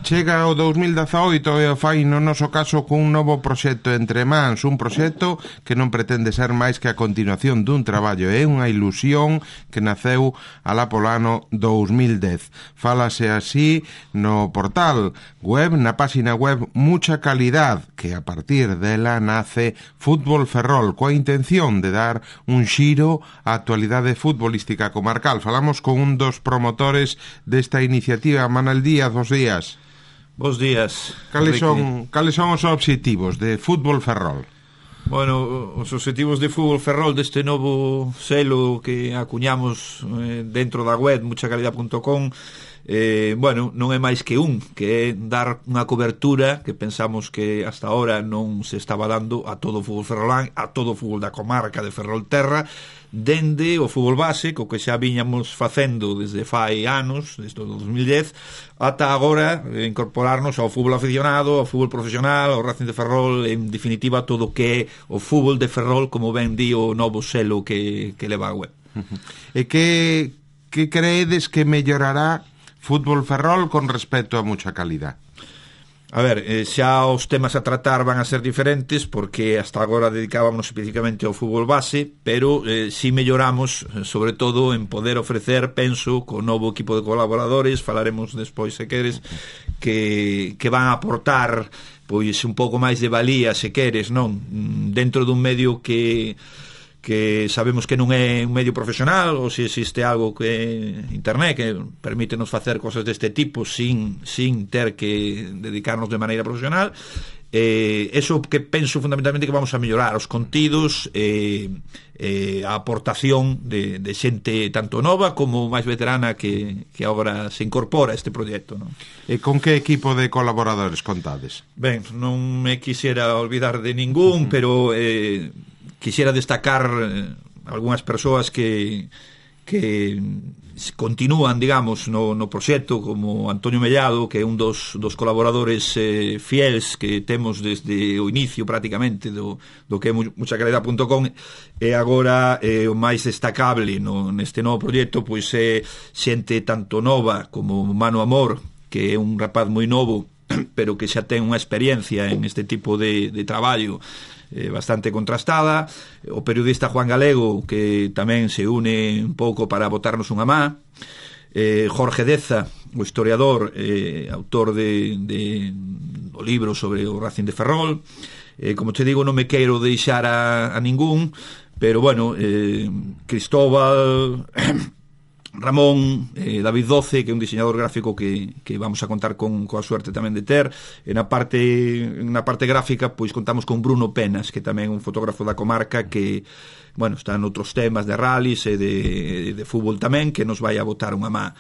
Chega o 2018 e o fai no noso caso cun novo proxecto entre mans, un proxecto que non pretende ser máis que a continuación dun traballo, é unha ilusión que naceu alá polo ano 2010. Fálase así no portal web, na páxina web Mucha Calidad, que a partir dela nace Fútbol Ferrol, coa intención de dar un xiro á actualidade futbolística comarcal. Falamos con un dos promotores desta iniciativa, Manel Díaz. Bos días. Bos días. Cales son os obxectivos de Fútbol Ferrol? Bueno, os obxectivos de Fútbol Ferrol deste novo selo que acuñamos dentro da web muchacalidad.com, bueno, non é máis que que é dar unha cobertura que pensamos que hasta ahora non se estaba dando a todo o fútbol ferrolán, a todo o fútbol da comarca de Ferrolterra, dende o fútbol base, co que xa viñamos facendo desde fai anos, desde o 2010, ata agora incorporarnos ao fútbol aficionado, ao fútbol profesional, ao Racing de Ferrol, en definitiva todo o que é o fútbol de Ferrol, como ben di o novo selo que leva a web. E que creedes que mellorará Fútbol Ferrol con respecto a Mucha Calidad? A ver, xa os temas a tratar van a ser diferentes porque hasta agora dedicábamos especificamente ao fútbol base, pero si melloramos, sobre todo en poder ofrecer, penso, co novo equipo de colaboradores, falaremos despois se queres, que van a aportar pois un pouco máis de valía, se queres, non? Dentro dun medio que sabemos que non é un medio profesional, ou se existe algo que internet que permítenos facer cosas deste tipo sin ter que dedicarnos de maneira profesional. Eso que penso fundamentalmente que vamos a mellorar os contidos, a aportación de xente tanto nova como máis veterana que agora se incorpora a este proxecto, non? E con que equipo de colaboradores contades? Ben, non me quixera olvidar de ningún, pero quixera destacar algunhas persoas que continúan, digamos, no proxecto, como Antonio Mellado, que é un dos colaboradores fiels que temos desde o inicio prácticamente do que é muchacalidad.com, e agora o máis destacable neste novo proxecto pois é xente tanto nova como Manu Amor, que é un rapaz moi novo pero que xa ten unha experiencia en este tipo de traballo bastante contrastada, o periodista Juan Galego, que tamén se une un pouco para botarnos unha má, Jorge Deza, o historiador, autor do libro sobre o Racing de Ferrol. Como te digo, non me quero deixar a ningún, pero bueno, Cristóbal, Ramón, David Doce, que é un diseñador gráfico que vamos a contar coa suerte tamén de ter. Na parte gráfica pois contamos con Bruno Penas, que tamén é un fotógrafo da comarca que, bueno, está en outros temas de rallies e de fútbol tamén, que nos vai a botar unha má.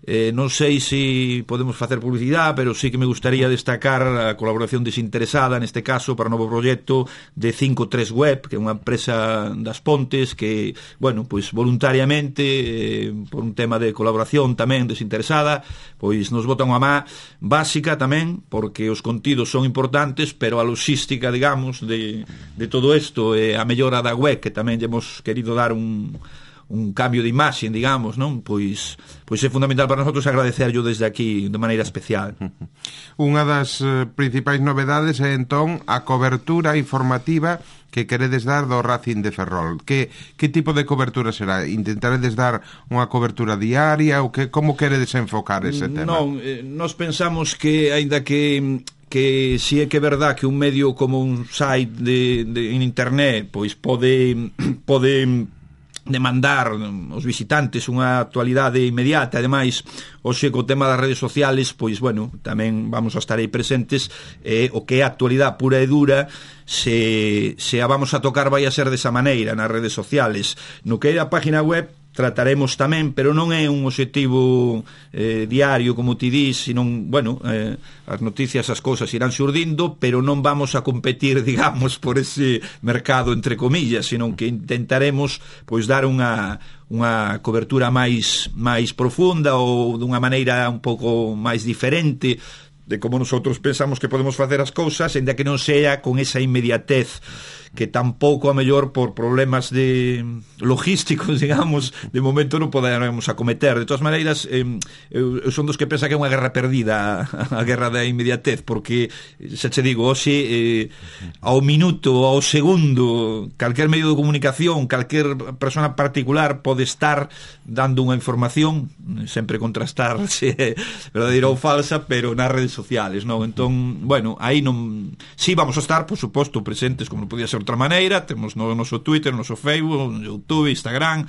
Non sei se podemos facer publicidade, pero sí que me gustaría destacar a colaboración desinteresada neste caso para o novo proxecto de 53 Web, que é unha empresa das Pontes que, bueno, pois voluntariamente por un tema de colaboración tamén desinteresada, pois nos bota unha má básica tamén, porque os contidos son importantes, pero a logística, digamos, de todo isto, a mellora da web, que tamén hemos querido dar un cambio de imaxe, digamos, non? Pois é fundamental para nosotros agradecerlo desde aquí de maneira especial. Unha das principais novedades é entón a cobertura informativa que queredes dar do Racing de Ferrol. Que tipo de cobertura será? Intentaredes dar unha cobertura diaria ou como queredes enfocar ese tema? Non, nós pensamos que, aínda que si é que é verdad que un medio como un site en internet pois pode demandar os visitantes unha actualidade inmediata, ademais hoxe co tema das redes sociales pois bueno, tamén vamos a estar aí presentes, o que é a actualidade pura e dura se a vamos a tocar vai a ser desa maneira nas redes sociales. No que é a página web trataremos tamén, pero non é un obxectivo diario, como ti dis, sino, bueno, as noticias, as cousas irán xurdindo, pero non vamos a competir, digamos, por ese mercado, entre comillas, sino que intentaremos pois dar unha cobertura máis profunda ou dunha maneira un pouco máis diferente de como nosotros pensamos que podemos facer as cousas, ainda que non sea con esa inmediatez que tampouco a mellor por problemas de logísticos, digamos, de momento non poderemos acometer. De todas maneiras, eu son dos que pensa que é unha guerra perdida, a guerra da inmediatez, porque, xa che digo, hoxe, ao minuto, ao segundo, calquer medio de comunicación, calquer persona particular pode estar dando unha información, sempre contrastar se é verdadeira ou falsa, pero nas redes sociales, non? Entón, bueno, aí non... Sí, vamos a estar, por suposto, presentes como non podía ser outra maneira. Temos no noso Twitter, no noso Facebook, no YouTube, Instagram.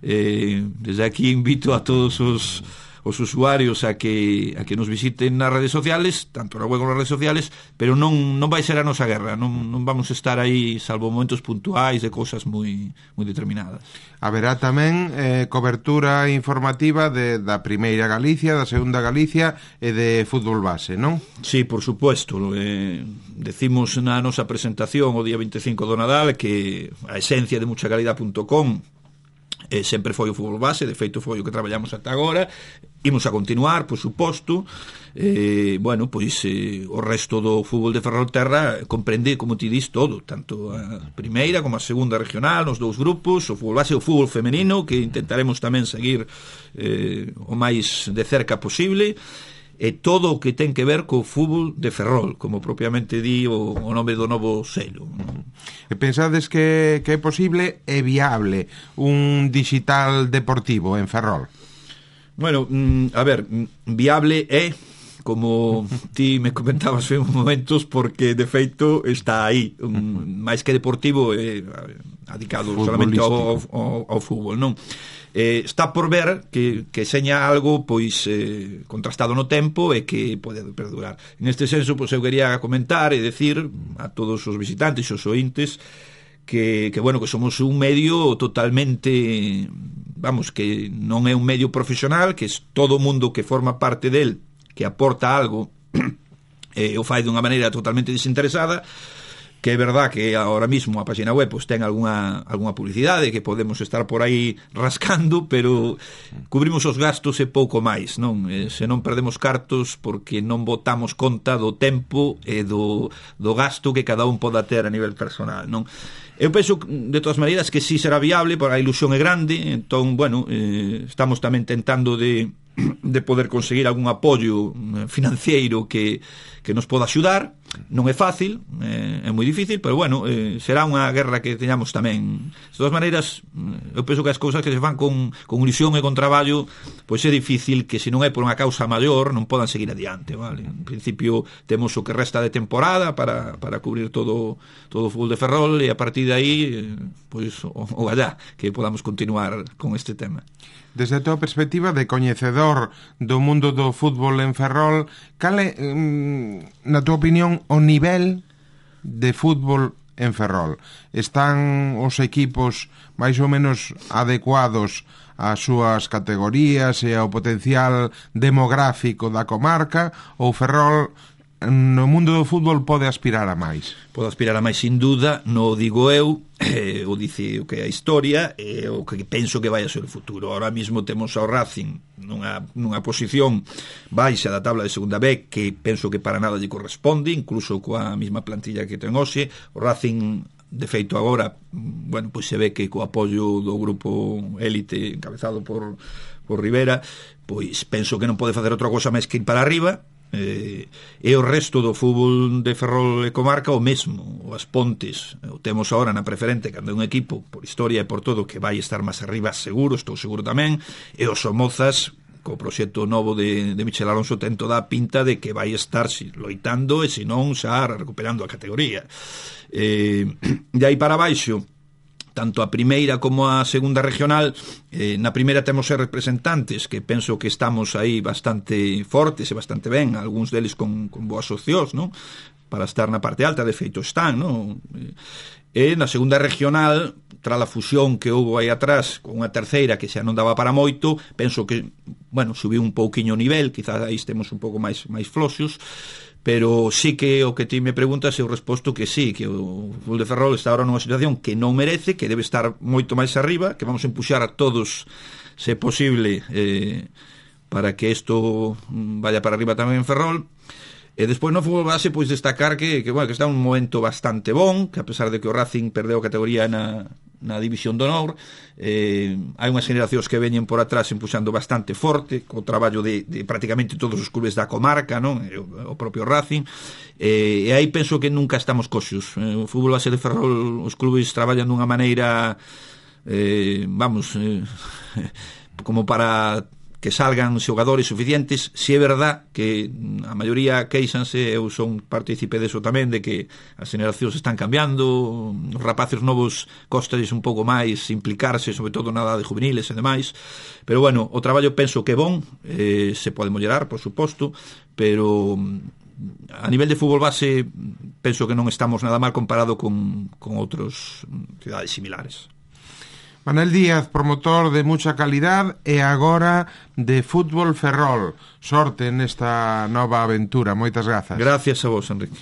Desde aquí invito a todos os usuarios a que nos visiten nas redes sociales, tanto na web como nas redes sociales, pero non vai ser a nosa guerra, non vamos a estar aí salvo momentos puntuais de cousas moi determinadas. Haberá tamén cobertura informativa da primeira Galicia, da segunda Galicia e de fútbol base, non? Sí, por supuesto. Decimos na nosa presentación o día 25 do Nadal que a esencia de muchacalidad.com sempre foi o fútbol base, de feito foi o que traballamos ata agora. Imos a continuar, por suposto. Bueno, pois o resto do fútbol de Ferrolterra comprende, como ti dis, todo, tanto a primeira como a segunda regional, nos dous grupos, o fútbol base e o fútbol femenino, que intentaremos tamén seguir o máis de cerca posible, e todo o que ten que ver co fútbol de Ferrol, como propiamente di o nome do novo selo. E pensades que é posible e viable un digital deportivo en Ferrol? Bueno, a ver, viable é, como ti me comentabas en momentos, porque de feito está aí, máis que deportivo, adicado solamente ao fútbol, non? Está por ver que seña algo pois contrastado no tempo e que pode perdurar. En este senso, pois eu quería comentar e decir a todos os visitantes e os ointes que bueno, que somos un medio totalmente, vamos, que non é un medio profesional, que é todo o mundo que forma parte del, que aporta algo o fai dunha maneira totalmente desinteresada, que é verdad que ahora mismo a página web pues, ten alguna publicidade que podemos estar por aí rascando, pero cubrimos os gastos e pouco máis, non? Se non perdemos cartos porque non botamos conta do tempo e do gasto que cada un poda ter a nivel personal, non? Eu penso, de todas maneiras, que sí será viable, porque a ilusión é grande. Entón, bueno, estamos tamén tentando de poder conseguir algún apoio financiero que nos poda axudar. Non é fácil, é moi difícil, pero bueno, será unha guerra que teñamos tamén. De todas maneiras, eu penso que as cousas que se fan con ilusión e con traballo, pois é difícil que se non é por unha causa maior non podan seguir adiante, vale? En principio temos o que resta de temporada para cubrir todo o fútbol de Ferrol, e a partir de aí pois o gallá que podamos continuar con este tema. Desde a tua perspectiva de coñecedor do mundo do fútbol en Ferrol, cal é, na tua opinión, o nivel de fútbol en Ferrol? Están os equipos máis ou menos adecuados ás súas categorías e ao potencial demográfico da comarca, ou Ferrol no mundo do fútbol pode aspirar a máis? Pode aspirar a máis, sin duda, non o digo eu, o dice o que é a historia, e o que penso que vai a ser o futuro. Ahora mesmo temos ao Racing nunha posición baixa da tabla de segunda B, que penso que para nada lle corresponde, incluso coa mesma plantilla que ten hoxe. O Racing, de feito, agora, bueno, pois se ve que co apoio do grupo élite encabezado por Rivera, pois penso que non pode facer outra cosa máis que ir para arriba. E o resto do fútbol de Ferrol e comarca o mesmo. As Pontes o temos agora na preferente, cando é un equipo por historia e por todo que vai estar máis arriba, seguro, estou seguro tamén. E os Somozas, co proxecto novo de Michel Alonso, ten toda a pinta de que vai estar loitando e se non xa recuperando a categoría. De aí para baixo, tanto a primeira como a segunda regional, na primeira temos representantes que penso que estamos aí bastante fortes e bastante ben, algúns deles con boas opcións, non? Para estar na parte alta, de feito están, non? E na segunda regional, tras a fusión que houve aí atrás con unha terceira que xa non daba para moito, penso que, bueno, subiu un pouquiño o nivel, quizás aí estemos un pouco máis floxos, pero sí que o que ti me preguntas eu resposto que sí, que o fútbol de Ferrol está ahora nunha situación que non merece, que debe estar moito máis arriba, que vamos a empuxar a todos, se posible, para que isto vaya para arriba tamén en Ferrol. E despois no fútbol base pois destacar que está un momento bastante bon, que a pesar de que o Racing perdeu a categoría na división de honor, hai unhas generacións que veñen por atrás empuxando bastante forte, co traballo de prácticamente todos os clubes da comarca, non? O propio Racing, e aí penso que nunca estamos coxos. O fútbol base de Ferrol, os clubes traballan dunha maneira como para que salgan xogadores suficientes. Si é verdad que a maioría queixanse, eu son partícipe deso tamén, de que as generacións están cambiando, os rapaces novos costalles un pouco máis implicarse, sobre todo na edade juveniles e demais, pero bueno, o traballo penso que é bon, se pode mellorar, por suposto, pero a nivel de fútbol base penso que non estamos nada mal comparado con outros cidades similares. Manel Díaz, promotor de mucha calidad e agora de Fútbol Ferrol. Sorte nesta nova aventura. Moitas grazas. Gracias a vos, Enrique.